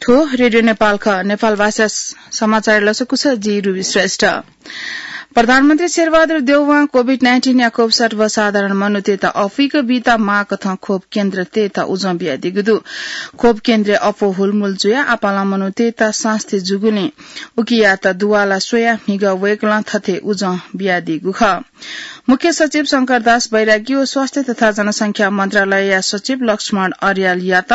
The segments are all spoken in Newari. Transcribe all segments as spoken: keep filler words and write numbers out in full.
थ्व रेडियो नेपाल खः। नेपाल भाषा स-, समाचार लसकुस जि रुबी श्रेष्ठ। प्रधानमन्त्री शेरबहादुर देउवां कोभिड नाइन्टिन या खोप सर्वसाधारण मनूतय्त अफुइक बीत माःकथं खोप केन्द्रतय्त उजं बियादीगु दु। खोप केन्द्रय् अप्वः हुलमुल जुयाः आपालं मनूतय्त सास्ती जूगुलिं उकियात दुवाला स्वयाः म्हिगः वय्कलं थथे उजं बियादीगु खः। मुख्य सचिव शंकरदास बैरागी व स्वास्थ्य तथा जनसंख्या मन्त्रालयया सचिव लक्ष्मण अर्यालयात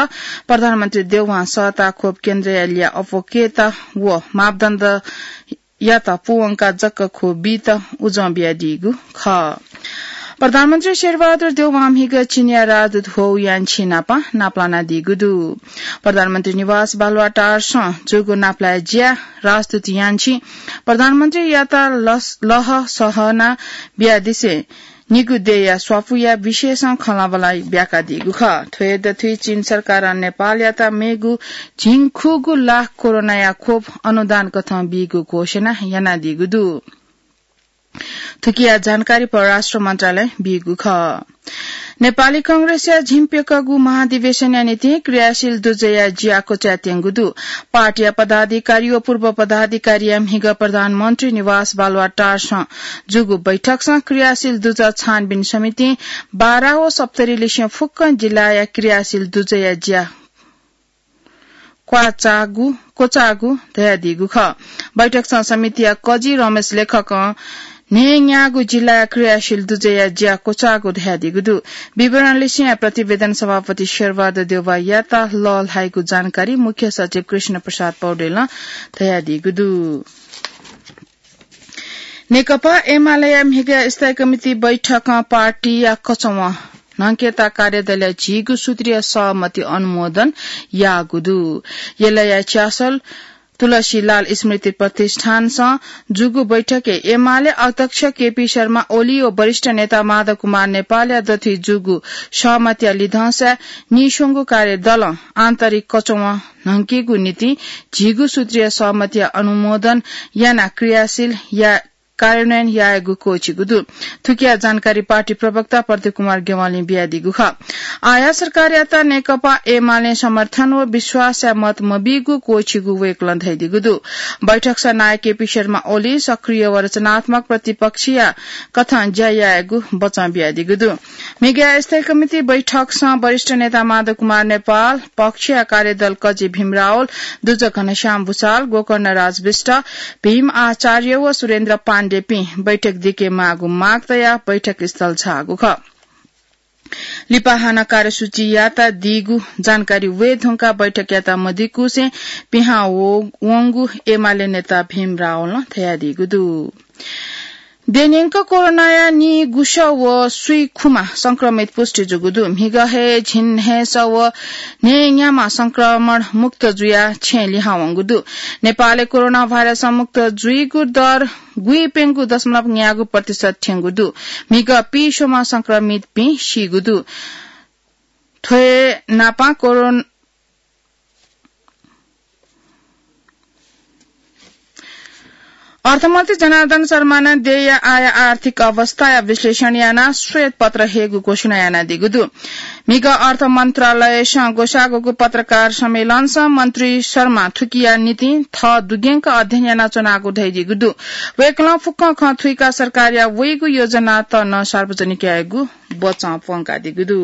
प्रधानमन्त्री देउवां सःता खोप केन्द्रया ल्याः अप्वः कयेत व मापदण्डयात पूवंकाः जक खोप बीत उजं बियादीगु खः। प्रधानमन्त्री शेरबहादुर देउवां म्हिगः चीनया राजदूत हौ यानछी नाप नापलानादीगु दु। प्रधानमन्त्री निवास बालुवाटारसं जूगु नापलाये ज्याय् राजदूत यानछी प्रधानमन्त्रीयात लस-, लह सहना बियादिसें निगू देय्या स्वापूया विषयसं खँल्हाबल्हा ब्याकादीगु खः। थ्व हे दथुइ चीन सरकारं नेपालयात मेगु झिंखुगू लाख कोरोनाया खोप अनुदान कथं बीगु घोषणा यानादीगु दु। थुकिया जानकारी परराष्ट्र मन्त्रालयं बीगु खः। नेपाली कांग्रेसया झिंप्यकःगु महाधिवेशनया निंतिं क्रियाशील दुजःया ज्या क्वचायेत्यंगु दु। पार्टीया पदाधिकारी व पूर्व पदाधिकारीया म्हिगः प्रधानमन्त्री निवास बालुवाटारसं जूगु बैठकसं क्रियाशील दुजः छानबिन समितिं बारा व सप्तरी लिसें फुक्कं जिल्लाया क्रियाशील दुजःया ज्या क्वाचाःगु, क्वचाःगु धयादीगु खः। बैठकसं समितिया कजि रमेश लेखकं न्हय्न्यागू जिल्लाया क्रियाशील दुजःया ज्या क्वचाःगु धयादीगु दु। विवरण लिसेंया प्रतिवेदन सभापति शेरबहादुर देउवायात लःल्हाइगु जानकारी मुख्य सचिव कृष्ण प्रसाद पौडेलं धयादीगु दु। नेकपा एमालेया म्हिगः स्थायी कमिटी बैठकं पार्टीया कचवं न्हंकेत कार्यदलया झिगू सूत्रीय सहमति अनुमोदन याःगु दु। यलया च्यासल तुलसीलाल स्मृति प्रतिष्ठानसं जूगु बैठकय् एमाले अध्यक्ष केपी शर्मा ओली व वरिष्ठ नेता माधव कुमार नेपालया दथुइ जूगु सहमतिया लिधंसाय् नीस्वंगू कार्यदलं आन्तरिक कचवं न्हंकेगु निंतिं झिगू सूत्रीय सहमतिया अनुमोदन यानाः क्रियाशील या कार्यान्वयन यायेगु क्वःछिगु दु। थुकिया जानकारी पार्टी प्रवक्ता प्रदीप कुमार ज्ञवालीं बियादीगु खः। आःया सरकारयात नेकपा एमालें समर्थन व विश्वासया मत मबीगु क्वःछिगु वय्कलं धयादीगु दु। बैठकसं नायः केपी शर्मा ओली सक्रिय व रचनात्मक प्रतिपक्षीया कथं ज्या यायेगु बचं बियादीगु दु। म्हिगः स्थायी कमिटी बैठकसं वरिष्ठ नेता माधव कुमार नेपाल, पक्षया कार्यदल कजि भीम रावल, दुजः घनश्याम भुसाल, गोकर्णराज विष्ट, भीम आचार्य व सुरेन्द्र पाण्डेपिं बैठक दिके माःगु माग तयाः बैठक स्थल झाःगु खः। लिपा हानं कार्यसूचीयात दीगु जानकारी वये धुंकाः बैठकयात मदिकुसें पिहां व-, वंगु एमाले नेता भीम रावलं धयादीगु दु। देय्‌न्यंक कोरोनाया निगुसः व स्वीखुमा संक्रमित पुष्टि जूगु दु। म्हिगः हे झिंन्हय्‌सः व न्हय्‌न्याम्ह संक्रमण मुक्त जुयाः छेँय् लिहां वंगु दु। नेपालय् कोरोना भाइरसं मुक्त जुइगु दर गुइप्यंगू दशमलव न्यागू प्रतिशत थ्यंगु दु। म्हिगः पीस्वम्ह संक्रमितपिं सीगु दु। थ्व हे नापं कोरोन-, अर्थमन्त्री जनार्दन शर्मां देय्‌या आःया आर्थिक अवस्थाया विश्लेषण यानाः श्वेत पत्र हयेगु घोषणा यानादीगु दु। म्हिगः अर्थ मन्त्रालयसं ग्वसाःगु पत्रकार सम्मेलनसं मन्त्री शर्मां थुकिया निंतिं थः दुग्यंक अध्ययन यानाच्वनागु धयादीगु दु। वय्‌कलं फुक्कं खँ थुइकाः सरकारया वइगु योजनात नं सार्वजनिक यायेगु बचं प्वंकादीगु दु।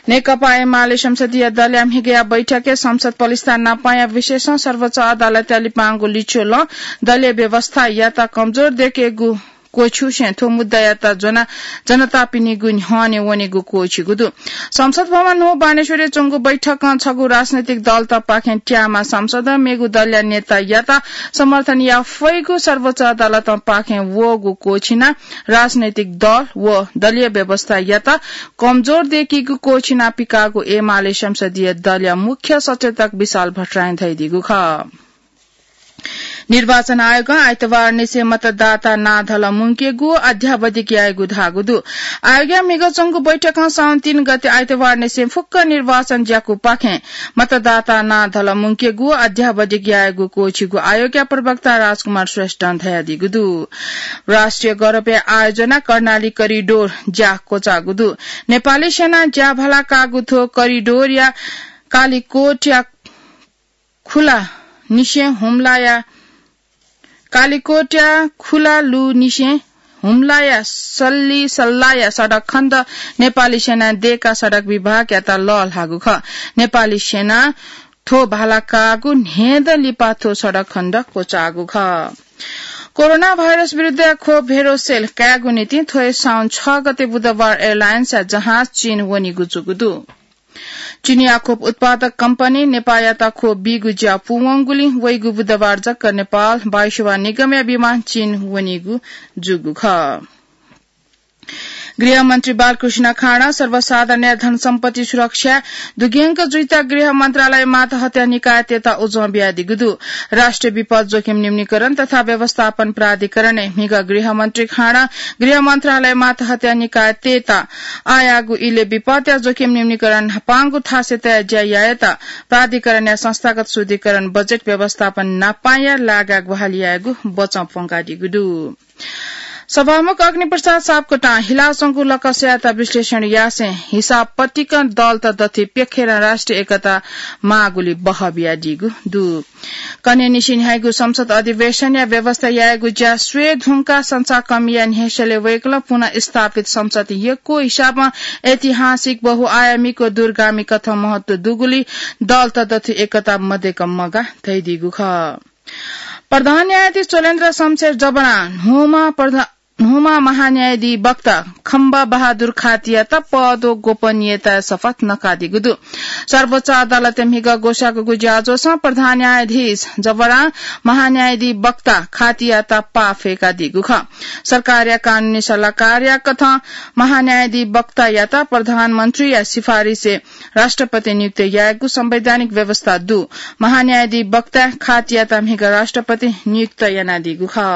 नेकपा एमाले संसदीय दलया म्हिगःया बैठकय् संसद पलिस्था नापंया विषयसं सर्वोच्च अदालतया लिपांगु लिच्वलं दलीय व्यवस्थायात कमजोर दयेकेगु क्वःछिसें थ्व मुद्दायात ज्वनाः जनतापिनिगु न्ह्यःने वनेगु क्वःछिगु दु। संसद भवन न्हू बानेश्वरय् च्वंगु बैठकं छगू राजनैतिक दलतपाखें त्याःम्ह सांसदं मेगु दलया नेतायात समर्थन याये फइगु सर्वोच्च अदालतपाखें वःगु क्वःछिनाः राजनैतिक दल व दलीय व्यवस्थायात कमजोर दयेकीगु क्वःछिनाः पिकाःगु एमाले संसदीय दलया मुख्य सचेतक विशाल भट्टराईं धयादीगु खः। निर्वाचन आयोगं आइतबारनिसें मतदाता नां धलः मुंकेगु अद्यावधिक यायेगु धाःगु दु। आयोगया म्हिगः च्वंगु बैठकं साउन तीन गते आइतबारनिसें फुक्क निर्वाचन ज्याकूपाखें मतदाता नां धलः मुंकेगु अद्यावधिक यायेगु क्वःछिगु आयोगया प्रवक्ता राजकुमार श्रेष्ठं धयादीगु दु। राष्ट्रिय गौरवया आयोजना कर्णाली करिडोर ज्या क्वचाःगु दु। नेपाली सेनां ज्याभाला काःगु थ्व करिडोरया कालीकोटया खुला निसें हुम्लाया कालिकोटया खुला लु निसें हुम्लाया सल्ली सल्लाया सडक खण्ड नेपाली सेना देका सडक विभागयात लःल्हाःगु खः। नेपाली सेना थ्व भाला काःगु न्हेद लिपा थ्व सडक खण्ड क्वचाःगु खः। कोरोना भाइरस विरुद्ध खोप भेरोसेल कायेगु निंतिं थ्व हे साउन छ गते बुधबार एयरलाइन्सया जहाज चीन वनीगु जूगु दु। चिनिया खोप उत्पादक कम्पनी नेपाःयात खोप बीगु ज्या पूवंगुलिं वइगु बुधबार जक नेपाल वायुसेवा निगमया विमान चीन वनीगु जूगु खः। गृहमन्त्री बालकृष्ण खाँडा सर्वसाधारणया धनसम्पत्ति सुरक्षा दुग्यंक जुइत गृह मन्त्रालय मातहत्या निकायतय्त उजं बियादीगु दु। राष्ट्रिय विपद जोखिम न्यूनीकरण तथा व्यवस्थापन प्राधिकरणय् म्हिगः गृहमन्त्री खाँडा गृह मन्त्रालय मातहत्या निकायतय्त आःयाःगु इलय् विपदया जोखिम न्यूनीकरण न्हापांगु थासय् तयाः ज्या यायेत प्राधिकरणया संस्थागत शुद्धिकरण बजेट व्यवस्थापन न्हापांया लागाय् ग्वाहालि यायेगु बचं प्वंकादीगु दु। सभामुख अग्निप्रसाद सापकोटां हिलाच्वंगु लकसयात विश्लेषण यासें हिसाब पतिकं दलत दथुइ प्यखेरं राष्ट्रिय एकता माःगुलि बहः बियादीगु दु। कन्हय् निसें न्ह्याइगु संसद अधिवेशनया व्यवस्था यायेगु ज्या स्वये धुंकाः संचाकमिया न्ह्यसःलय् वय्कलं पुनः स्थापित संसद यक्व हिसाबं ऐतिहासिक, बहुआयामिक व दूरगामी कथं महत्व दुगुलि दलत दथुइ एकता मदय्क मगाः धयादीगु खः। प्रधान न्यायाधीश चोलेन्द्र शमशेर जबरां न्हूम्ह प्रधा-, न्हूम्ह महान्यायाधिवक्ता खम्बा बहादुर खातीयात पद व गोपनीयताया शपथ नकादीगु दु। सर्वोच्च अदालतय् म्हिगः ग्वसाःगु ज्याझ्वलय् प्रधान न्यायाधीश जबरां महान्यायाधिवक्ता खातीयात पाः फ्यंकादीगु खः। सरकारया कानूनी सल्लाहकारया कथं महान्यायाधिवक्तायात प्रधानमन्त्रीया सिफारिसय् राष्ट्रपति नियुक्त यायेगु संवैधानिक व्यवस्था दु। महान्यायाधिवक्ता खातीयात म्हिगः राष्ट्रपति नियुक्त यानादीगु खः।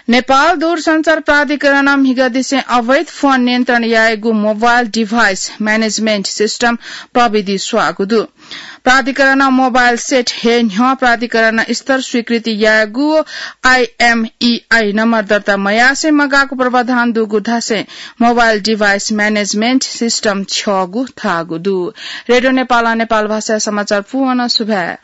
नेपाल दूरसञ्चार प्राधिकरणं म्हिगःदिसें अवैध फोन नियन्त्रण यायेगु मोबाइल डिभाइस म्यानेजमेन्ट सिस्टम प्रविधि स्वाःगु दु। प्राधिकरणं मोबाइल सेट हे न्ह्यः प्राधिकरण स्तर स्वीकृति यायेगु आइएमइआई नम्बर दर्ता मयासें मगाःगु प्रावधान दुगु धासें मोबाइल डिभाइस म्यानेजमेन्ट सिस्टम छ्यःगु धाःगु दु। रेडियो नेपालं नेपाल भाषाया समाचार पूवं सुभाय्।